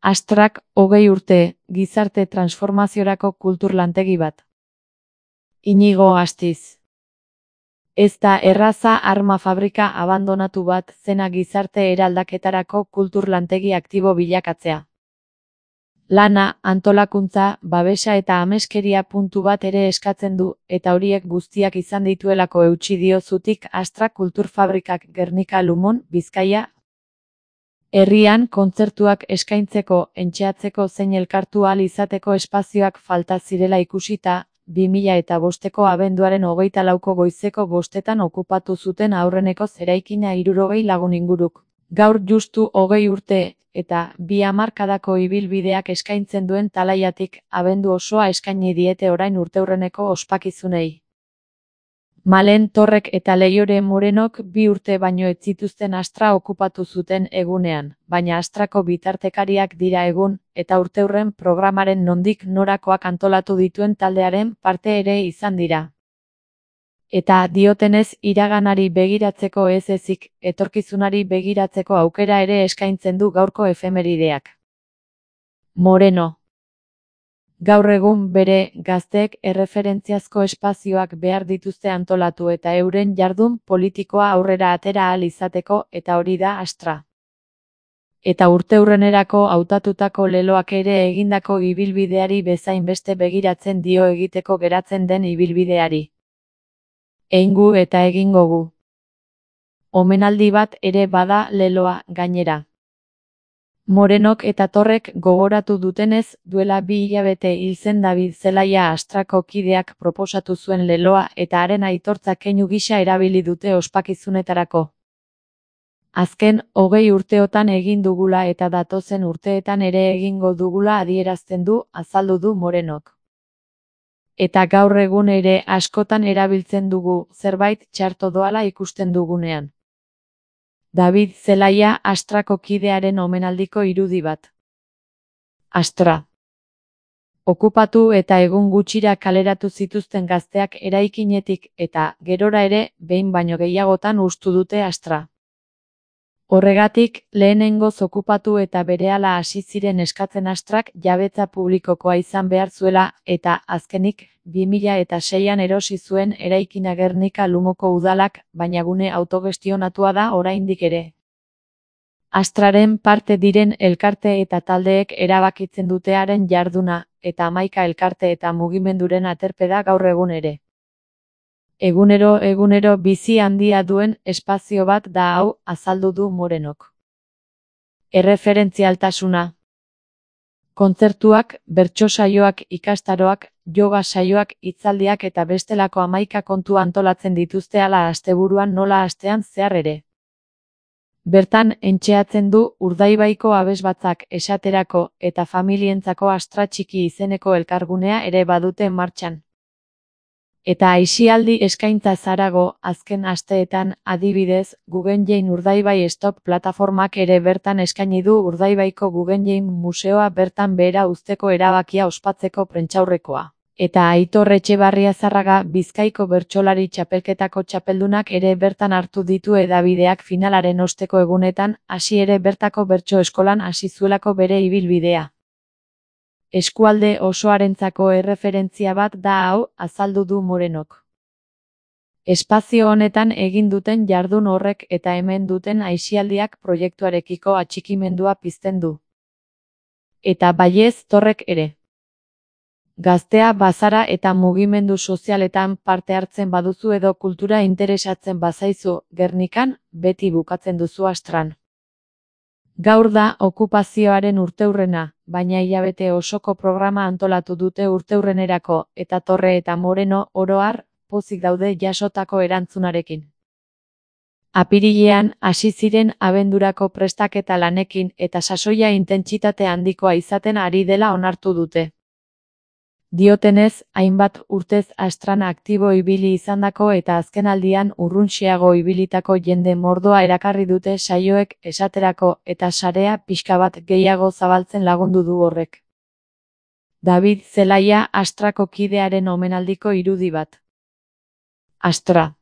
Astrak 20 urte, gizarte transformaziorako kultur lantegi bat. Inigo Astiz. Ez da erraza arma fabrika abandonatu bat zena gizarte eraldaketarako kultur lantegi aktibo bilakatzea. Lana, antolakuntza, babesa eta ameskeria puntu bat ere eskatzen du, eta horiek guztiak izan dituelako eutsi dio zutik Astra kulturfabrikak Gernika Lumon, Bizkaia. Herrian kontzertuak eskaintzeko, entxeatzeko zein elkartu ahal izateko espazioak falta zirela ikusita, 2005ko abenduaren 24ko goizeko 5etan okupatu zuten aurreneko eraikina 60 lagun inguruk. Gaur justu 20 urte, eta 2 hamarkadako ibilbideak eskaintzen duen Talaiatik, abendu osoa eskaini diete orain urteurreneko ospakizunei. Malen Torrek eta Leiore Morenok 2 urte baino ez zituzten Astra okupatu zuten egunean, baina Astrako bitartekariak dira egun, eta urteurren programaren nondik norakoak antolatu dituen taldearen parte ere izan dira. Eta diotenez iraganari begiratzeko ez ezik, etorkizunari begiratzeko aukera ere eskaintzen du gaurko efemerideak. Moreno. Gaur egun bere gazteek erreferentziazko espazioak behar dituzte antolatu eta euren jardun politikoa aurrera atera ahal izateko eta hori da Astra. Eta urteurrenerako hautatutako leloak ere egindako ibilbideari bezain beste begiratzen dio egiteko geratzen den ibilbideari. Eingu eta egingo gu. Omenaldi bat ere bada leloa gainera. Morenok eta Torrek gogoratu dutenez, duela 2 hilabete hil zen David Zelaia Astrako kideak proposatu zuen leloa eta haren aitortza keinu gisa erabili dute ospakizunetarako. Azken 20 urteotan egin dugula eta datozen urteetan ere egingo dugula adierazten du, azaldu du Morenok. Eta gaur egun ere askotan erabiltzen dugu, zerbait txarto doala ikusten dugunean. David Zelaia Astrako kidearen omenaldiko irudi bat. Astra. Okupatu eta egun gutxira kaleratu zituzten gazteak eraikinetik eta, gerora ere, behin baino gehiagotan hustu dute Astra. Horregatik, lehenengoz okupatu eta berehala hasi ziren eskatzen Astrak jabetza publikokoa izan behar zuela, eta, azkenik, 2006an erosi zuen eraikina Gernika Lumoko udalak, baina gune autogestionatua da oraindik ere. Astraren parte diren elkarte eta taldeek erabakitzen dute haren jarduna, eta 11 elkarte eta mugimenduren aterpe da gaur egun ere. Egunero bizi handia duen espazio bat da hau, azaldu du Morenok. Erreferentzialtasuna. Kontzertuak, bertso saioak, ikastaroak, yoga saioak, hitzaldiak eta bestelako 11 kontu antolatzen dituzte hala asteburuan nola astean zehar ere. Bertan entxeatzen du Urdaibaiko abesbatzak esaterako eta familientzako Astra Txiki izeneko elkargunea ere badute martxan. Eta aisialdi eskaintza zarago, azken asteetan, adibidez, Guggenheim Urdaibai Stop plataformak ere bertan eskaini du Urdaibaiko Guggenheim Museoa bertan behera uzteko erabakia ospatzeko prentsaurrekoa. Eta Aitor Etxebarriazarraga Bizkaiko bertsolari txapelketako txapeldunak ere bertan hartu ditu hedabideak finalaren osteko egunetan, hasi ere bertako bertso eskolan hasi zuelako bere ibilbidea. Eskualde osoarentzako erreferentzia bat da hau, azaldu du Morenok. Espazio honetan egin duten jardun horrek eta hemen duten aisialdiak proiektuarekiko atxikimendua pizten du. Eta baiez Torrek ere. Gaztea bazara eta mugimendu sozialetan parte hartzen baduzu edo kultura interesatzen bazaizu, Gernikan, beti bukatzen duzu Astran. Gaur da okupazioaren urteurrena, baina hilabete osoko programa antolatu dute urteurrenerako, eta Torre eta Moreno, oro har, pozik daude jasotako erantzunarekin. Apirilean, hasi ziren abendurako prestaketa lanekin eta sasoia intentsitate handikoa izaten ari dela onartu dute. Diotenez, hainbat urtez Astran aktibo ibili izandako eta azkenaldian urruntxeago ibilitako jende mordoa erakarri dute saioek esaterako eta sarea pixka bat gehiago zabaltzen lagundu du horrek. David Zelaia Astrako kidearen omenaldiko irudi bat. Astra.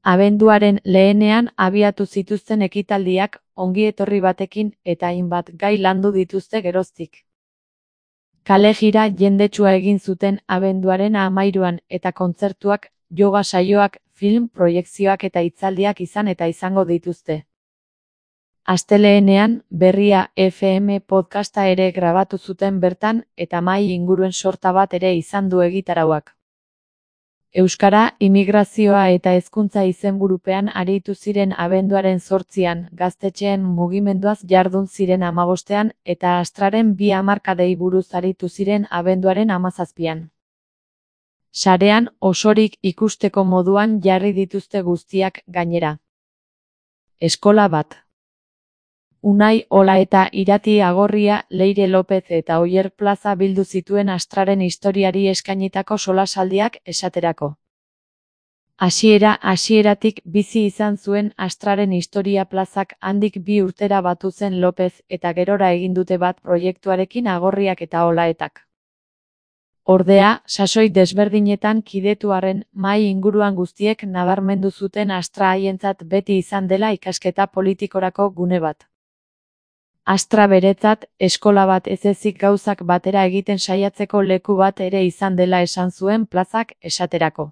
Abenduaren lehenean abiatu zituzten ekitaldiak, ongietorri batekin eta hainbat gai landu dituzte geroztik. Kale jira jendetsua egin zuten abenduaren 13an eta kontzertuak, yoga saioak, film proiekzioak eta hitzaldiak izan eta izango dituzte. Astelehenean, Berria FM podcasta ere grabatu zuten bertan eta mahai inguruen sorta bat ere izan du egitarauak. Euskara, immigrazioa eta hezkuntza izenburupean aritu ziren abenduaren 8an, gaztetxeen mugimenduaz jardun ziren 15ean eta Astraren 2 hamarkadei buruz aritu ziren abenduaren 17an. Sarean osorik ikusteko moduan jarri dituzte guztiak gainera. Eskola bat. Unai Ola eta Irati Agorria, Leire Lopez eta Oier Plaza bildu zituen Astraren historiari eskainitako solasaldiak esaterako. Hasieratik bizi izan zuen Astraren historia plazak handik 2 urtera batu zen Lopez eta gerora egin dute bat proiektuarekin Agorriak eta Olaetak. Ordea, sasoi desberdinetan kidetu arren, mahai inguruan guztiek nabarmendu zuten Astra haientzat beti izan dela ikasketa politikorako gune bat. Astra beretzat, eskola bat ez ezik gauzak batera egiten saiatzeko leku bat ere izan dela esan zuen plazak esaterako.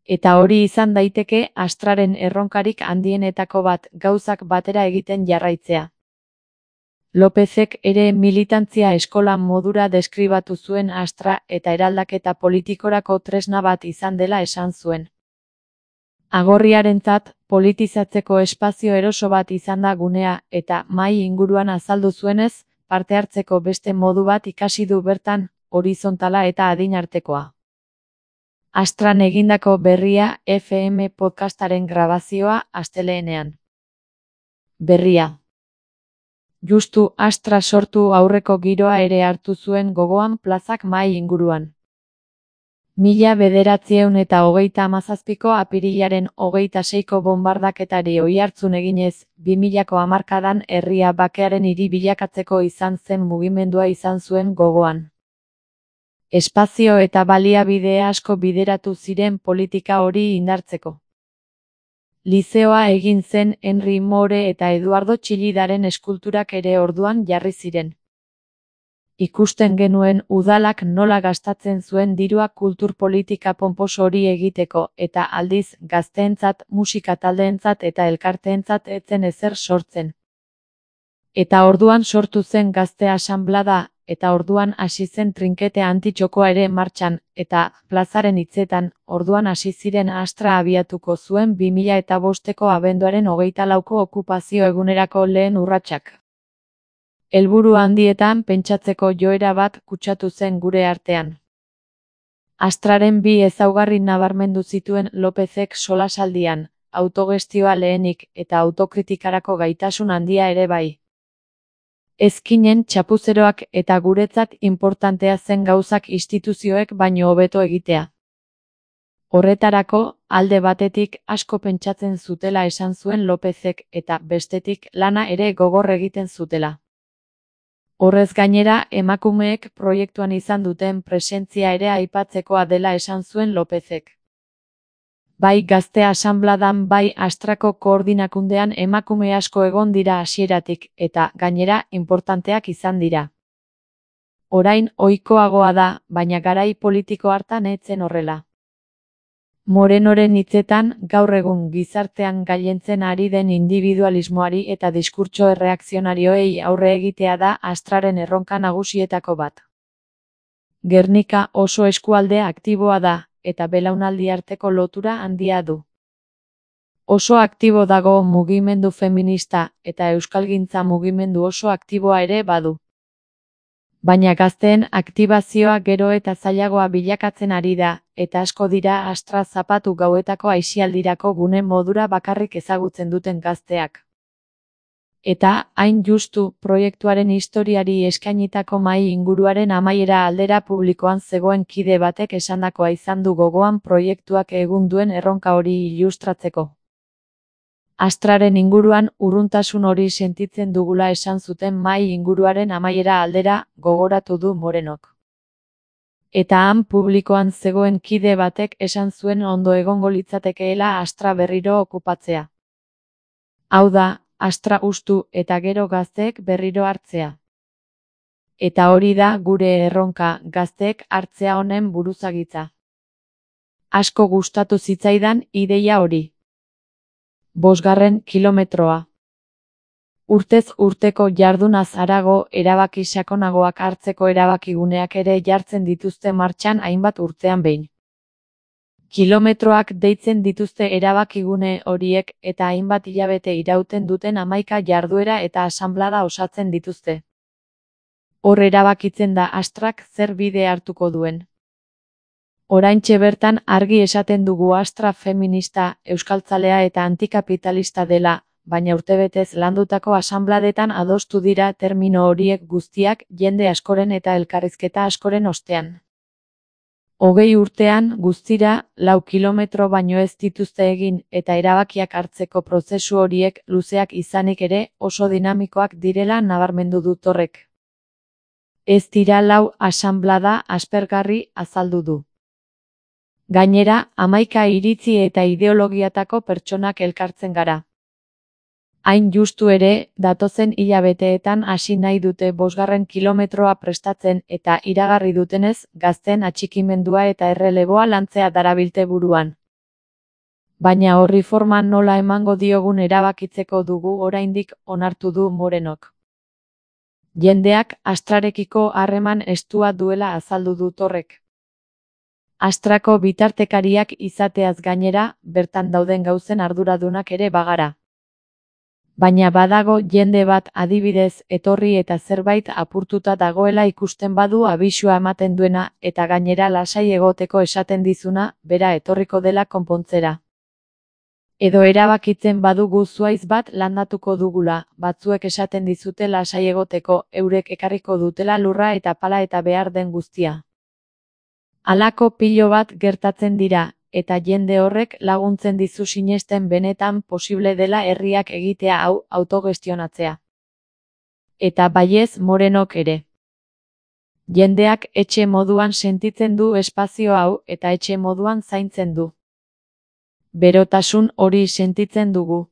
Eta hori izan daiteke Astraren erronkarik handienetako bat gauzak batera egiten jarraitzea. Lopezek ere militantzia eskola modura deskribatu zuen Astra eta eraldaketa politikorako tresna bat izan dela esan zuen. Agorriarentzat, politizatzeko espazio eroso bat izan da gunea eta mahai inguruan azaldu zuenez, parte hartzeko beste modu bat ikasi du bertan, horizontala eta adinartekoa. Astran egindako Berria FM podcastaren grabazioa astelehenean. Berria. Justu Astra sortu aurreko giroa ere hartu zuen gogoan plazak mahai inguruan. 1937ko apirilaren 26ko bonbardaketari oihartzun eginez, 2000ko hamarkadan herria bakearen hiri bilakatzeko izan zen mugimendua izan zuen gogoan. Espazio eta baliabide asko bideratu ziren politika hori indartzeko. Lizeoa egin zen Henry Moore eta Eduardo Chillidaren eskulturak ere orduan jarri ziren. Ikusten genuen udalak nola gastatzen zuen dirua kultur-politika ponposo hori egiteko eta aldiz gazteentzat, musika taldeentzat eta elkarteentzat etzen ezer sortzen. Eta orduan sortu zen Gazte Asanblada, eta orduan hasi zen trinkete antitxokoa ere martxan, eta plazaren hitzetan, orduan hasi ziren Astra abiatuko zuen 2005ko abenduaren 24ko okupazio egunerako lehen urratsak. Helburu handietan pentsatzeko joera bat kutsatu zen gure artean. Astraren 2 ezaugarri nabarmendu zituen Lopezek solasaldian, autogestioa lehenik eta autokritikarako gaitasun handia ere bai. Ezkinen txapuzeroak eta guretzat inportantea zen gauzak instituzioek baino hobeto egitea. Horretarako, alde batetik asko pentsatzen zutela esan zuen Lopezek eta bestetik lana ere gogor egiten zutela. Horrez gainera, emakumeek proiektuan izan duten presentzia ere aipatzekoa dela esan zuen Lopezek. Bai Gazte Asanbladan bai Astrako koordinakundean emakume asko egon dira hasieratik eta gainera inportanteak izan dira. Orain ohikoagoa da, baina garai politiko hartan ez zen horrela. Morenoren hitzetan, gaur egun gizartean gailentzen ari den individualismoari eta diskurtso erreakzionarioei aurre egitea da Astraren erronka nagusietako bat. Gernika oso eskualde aktiboa da, eta belaunaldi arteko lotura handia du. Oso aktibo dago mugimendu feminista eta euskalgintza mugimendu oso aktiboa ere badu. Baina gazteen aktibazioa gero eta zailagoa bilakatzen ari da, eta asko dira Astra zapatu gauetako aisialdirako gune modura bakarrik ezagutzen duten gazteak. Eta, hain justu, proiektuaren historiari eskainitako mahai inguruaren amaiera aldera publikoan zegoen kide batek esandakoa izan du gogoan proiektuak egun duen erronka hori ilustratzeko. Astraren inguruan urruntasun hori sentitzen dugula esan zuten mahai inguruaren amaiera aldera gogoratu du Morenok. Eta han publikoan zegoen kide batek esan zuen ondo egongo litzatekeela Astra berriro okupatzea. Hau da, Astra hustu eta gero gazteek berriro hartzea. Eta hori da gure erronka, gazteek hartzea honen buruzagitza. Asko gustatu zitzaidan ideia hori. 5. kilometroa. Urtez urteko jardunaz harago, erabaki sakonagoak hartzeko erabakiguneak ere jartzen dituzte martxan hainbat urtean behin. Kilometroak deitzen dituzte erabakigune horiek eta hainbat hilabete irauten duten 11 jarduera eta asanblada osatzen dituzte. Hor erabakitzen da Astrak zer bide hartuko duen. Oraintxe bertan argi esaten dugu Astra feminista, euskaltzalea eta antikapitalista dela, baina urtebetez landutako asanbladetan adostu dira termino horiek guztiak jende askoren eta elkarrizketa askoren ostean. 20 urtean guztira 4 kilometro baino ez dituzte egin eta erabakiak hartzeko prozesu horiek luzeak izanik ere oso dinamikoak direla nabarmendu dut horrek. Ez dira 4 asanblada aspergarri azaldu du. Gainera, 11 iritzi eta ideologiatako pertsonak elkartzen gara. Hain justu ere, datozen hilabeteetan hasi nahi dute 5. kilometroa prestatzen eta iragarri dutenez, gazteen atxikimendua eta erreleboa lantzea darabilte buruan. Baina horri forma nola emango diogun erabakitzeko dugu oraindik onartu du Morenok. Jendeak Astrarekiko harreman estua duela azaldu dut horrek. Astrako bitartekariak izateaz gainera, bertan dauden gauzen arduradunak ere bagara. Baina badago jende bat adibidez etorri eta zerbait apurtuta dagoela ikusten badu abisua ematen duena eta gainera lasai egoteko esaten dizuna, bera etorriko dela konpontzera. Edo erabakitzen badugu zuaiz bat landatuko dugula, batzuek esaten dizute lasai egoteko, eurek ekarriko dutela lurra eta pala eta behar den guztia. Halako pilo bat gertatzen dira, eta jende horrek laguntzen dizu sinesten benetan posible dela herriak egitea hau autogestionatzea. Eta baiez Morenok ere. Jendeak etxe moduan sentitzen du espazio hau eta etxe moduan zaintzen du. Berotasun hori sentitzen dugu.